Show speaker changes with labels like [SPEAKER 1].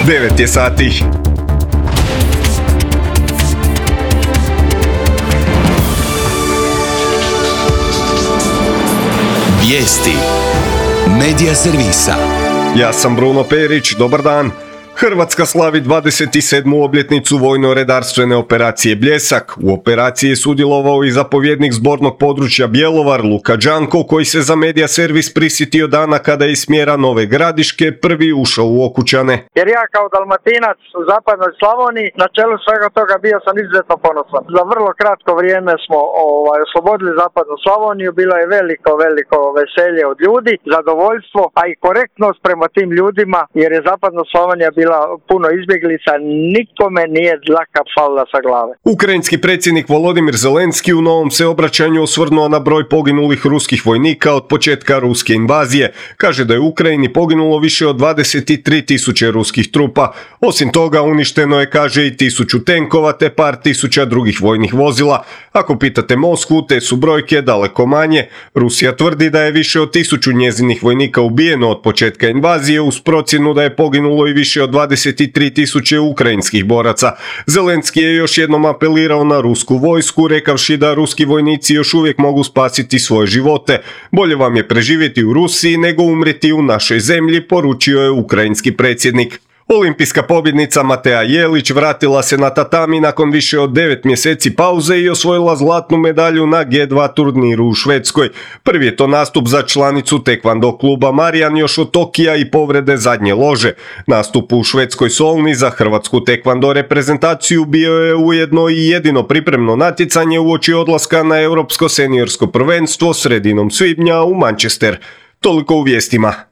[SPEAKER 1] 9 je sati.
[SPEAKER 2] Vijesti Medija servisa.
[SPEAKER 1] Ja sam Bruno Perić, dobar dan. Hrvatska slavi 27. obljetnicu vojno-redarstvene operacije Bljesak. U operaciji je sudjelovao i zapovjednik zbornog područja Bjelovar, Luka Đanko, koji se za Medija servis prisjetio dana kada je iz smjera Nove Gradiške prvi ušao u Okučane.
[SPEAKER 3] Jer ja kao Dalmatinac u zapadnoj Slavoniji na čelu svega toga bio sam izuzetno ponosan. Za vrlo kratko vrijeme smo oslobodili zapadnu Slavoniju, bilo je veliko veselje od ljudi, zadovoljstvo, a i korektnost prema tim ljudima, jer je zapadna Slavonija bila puno izbjeglica, nikome nije dlaka falila sa glave.
[SPEAKER 1] Ukrajinski predsjednik Volodimir Zelenski u novom se obraćanju osvrnuo na broj poginulih ruskih vojnika od početka ruske invazije. Kaže da je u Ukrajini poginulo više od 23.000 ruskih trupa. Osim toga uništeno je, kaže, i 1000 tenkova te par tisuća drugih vojnih vozila. Ako pitate Moskvu, te su brojke daleko manje. Rusija tvrdi da je više od 1000 njezinih vojnika ubijeno od početka invazije, uz procjenu da je poginulo i više od 23.000 ukrajinskih boraca. Zelenski je još jednom apelirao na rusku vojsku, rekavši da ruski vojnici još uvijek mogu spasiti svoje živote. Bolje vam je preživjeti u Rusiji nego umreti u našoj zemlji, poručio je ukrajinski predsjednik. Olimpijska pobjednica Matea Jelić vratila se na tatami nakon više od 9 mjeseci pauze i osvojila zlatnu medalju na G2 turniru u Švedskoj. Prvi je to nastup za članicu tekvando kluba Marijan još od Tokija i povrede zadnje lože. Nastup u švedskoj Solni za hrvatsku tekvando reprezentaciju bio je ujedno i jedino pripremno natjecanje uoči odlaska na europsko seniorsko prvenstvo sredinom svibnja u Manchester. Toliko u vijestima.